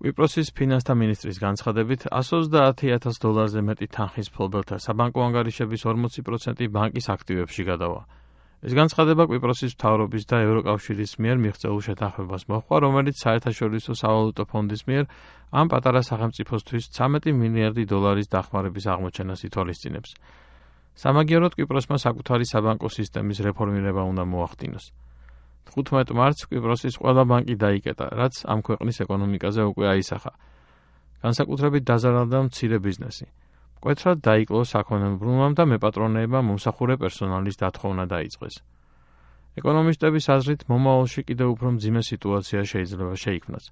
კვიპროსის ფინანსთა მინისტრის განცხადებით, $130,000-ზე მეტი თანხის მფლობელთა საბანკო ანგარიშების 40% ბანკის აქტივებში გადავა. ეს განცხადება კვიპროსის მთავრობის და ევროკავშირის მიერ მიღწეულ შეთანხმებას მოჰყვა, რომელიც საერთაშორისო სავალუტო ფონდის მიერ ამ პატარა სახელმწიფოსთვის $13 მილიარდი დახმარების აღმოჩენას ითვალისწინებს. სამაგიეროდ კვიპროსმა საკუთარი საბანკო სისტემის რეფორმირება უნდა მოახდინოს. 15 მარტს კვიპროსის ყველა ბანკი დაიკეტა, რაც ამ ქვეყნის ეკონომიკაზე უკვე აისახა. განსაკუთრებით დაზარალდა მცირე ბიზნესი. მკვეთრად დაიკლო საქონელმრბლობამ და მეპატრონეებმა მომსახურე პერსონალის დათხოვნა დაიწყეს. ეკონომისტების აზრით, მომავალში კიდევ უფრო მძიმე სიტუაცია შეიძლება შეიქმნას.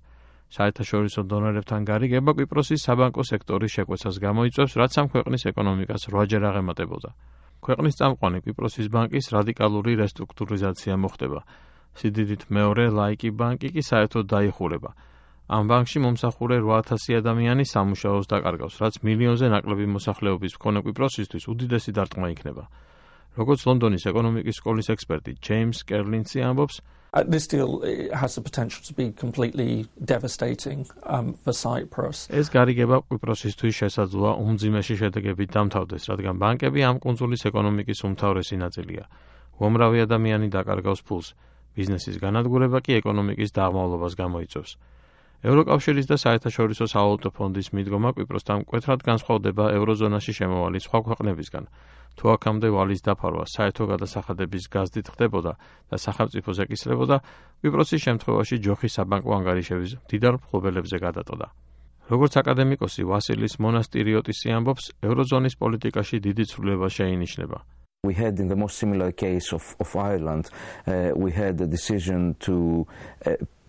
საერთაშორისო დონორებთან გარიგება კვიპროსის საბანკო სექტორის შეკვეცას გამოიწვევს, რაც ამ ქვეყნის ეკონომიკას 8-ჯერ აღემატებოდა. ქვეყნის წამყვანი კვიპროსის ბანკის რადიკალური რესტრუქტურიზაცია მოხდება. სიდიდით მეორე ლაიკი ბანკი კი საერთოდ დაიხურება. ამ ბანკში მომსახურე 8,000 ადამიანი სამუშაოს დაკარგავს, რაც მილიონზე ნაკლები მოსახლეობის მქონე კვიპროსისთვის უდიდესი დარტყმა იქნება. როგორც ლონდონის ეკონომიკის სკოლის ექსპერტი ჯეიმს კერლინცი ამბობს, This deal has the potential to be completely devastating for Cyprus. ეს გარიგება კვიპროსისთვის შესაძლოა უმძიმესი შედეგებით დამთავრდეს, რადგან ბანკები ამ კუნძულის ეკონომიკის უმთავრესი ნაწილია. უამრავი ადამიანი დაკარგავს ფულს, ბიზნესის განადგურება კი ეკონომიკის დაღმავლობას გამოიწვევს. ევროკავშირის და საერთაშორისო სავალუტო ფონდის მიდგომა კვიპროსთან მკვეთრად განსხვავდება ევროზონაში შემოვალი სხვა ქვეყნებისგან. თუ აქამდე ვალის დაფარვა საერთო გადასახადების გაზდით ხდებოდა და სახელმწიფოს ეკისრებოდა, კვიპროსის შემთხვევაში ჯოხი საბანკო ანგარიშების მდიდარ მფლობელებზე გადატოდა. როგორც აკადემიკოსი ვასილის მონასტირიოტისი ამბობს, ევროზონის პოლიტიკაში დიდი ცვლილება შეინიშნება. We had in the most similar case of Ireland, we had a decision to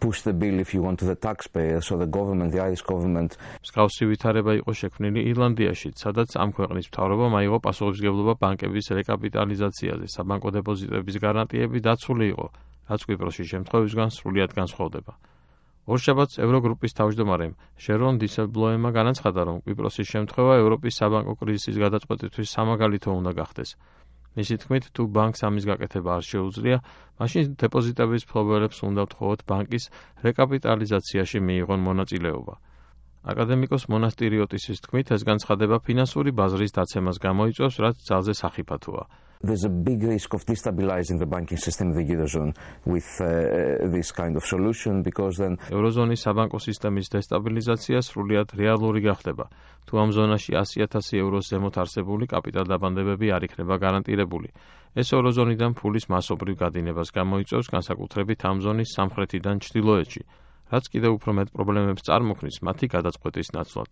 push the bill, if you want, to the taxpayer, so the government, the Irish government. მსგავსი ვითარება იყო შექმნილი ირლანდიაში, სადაც ამ ქვეყნის მთავრობამ აიღო პასუხისმგებლობა ბანკების რეკაპიტალიზაციაზე, საბანკო დეპოზიტების გარანტიები დაცული იყო, რაც კვიპროსის შემთხვევისგან სრულიად განსხვავდება. ორშაბათს ევროგრუპის თავმჯდომარემ შერონ დისელბლოემმა განაცხადა, რომ კვიპროსის შემთხვევა ევროპის საბანკო კრიზისის გადაწყვეტისთვის სამაგალითო უნდა გახდეს. მისი თქმით, თუ ბანკს ამის გაკეთება არ შეუძლია, მაშინ დეპოზიტების მფლობელებს უნდა ვთხოვოთ ბანკის რეკაპიტალიზაციაში მიიღონ მონაწილეობა. აკადემიკოს მონასტირიოტისის თქმით, ეს განცხადება ფინანსური ბაზრის დაცემას გამოიწვევს, რაც ძალზე სახიფათოა. There's a big risk of destabilizing the banking system in the Eurozone with this kind of solution because then ევროზონის საბანკო სისტემის დესტაბილიზაცია სრულიად რეალური გახდება. თუ ამ ზონაში 100,000 ევროს ზემოთ არსებული კაპიტალდაბანდებები არ იქნება გარანტირებული. ეს ევროზონიდან ფულის მასობრივ გადინებას გამოიწვევს განსაკუთრებით ამ ზონის სამხრეთიდან ჩრდილოეთში, რაც კიდევ უფრო მეტ პრობლემებს წარმოქმნის მათი გადაწყვეტის ნაცვლად.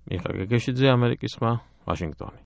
მიხა გეგეშიძე, ამერიკის ხმა, ვაშინგტონი.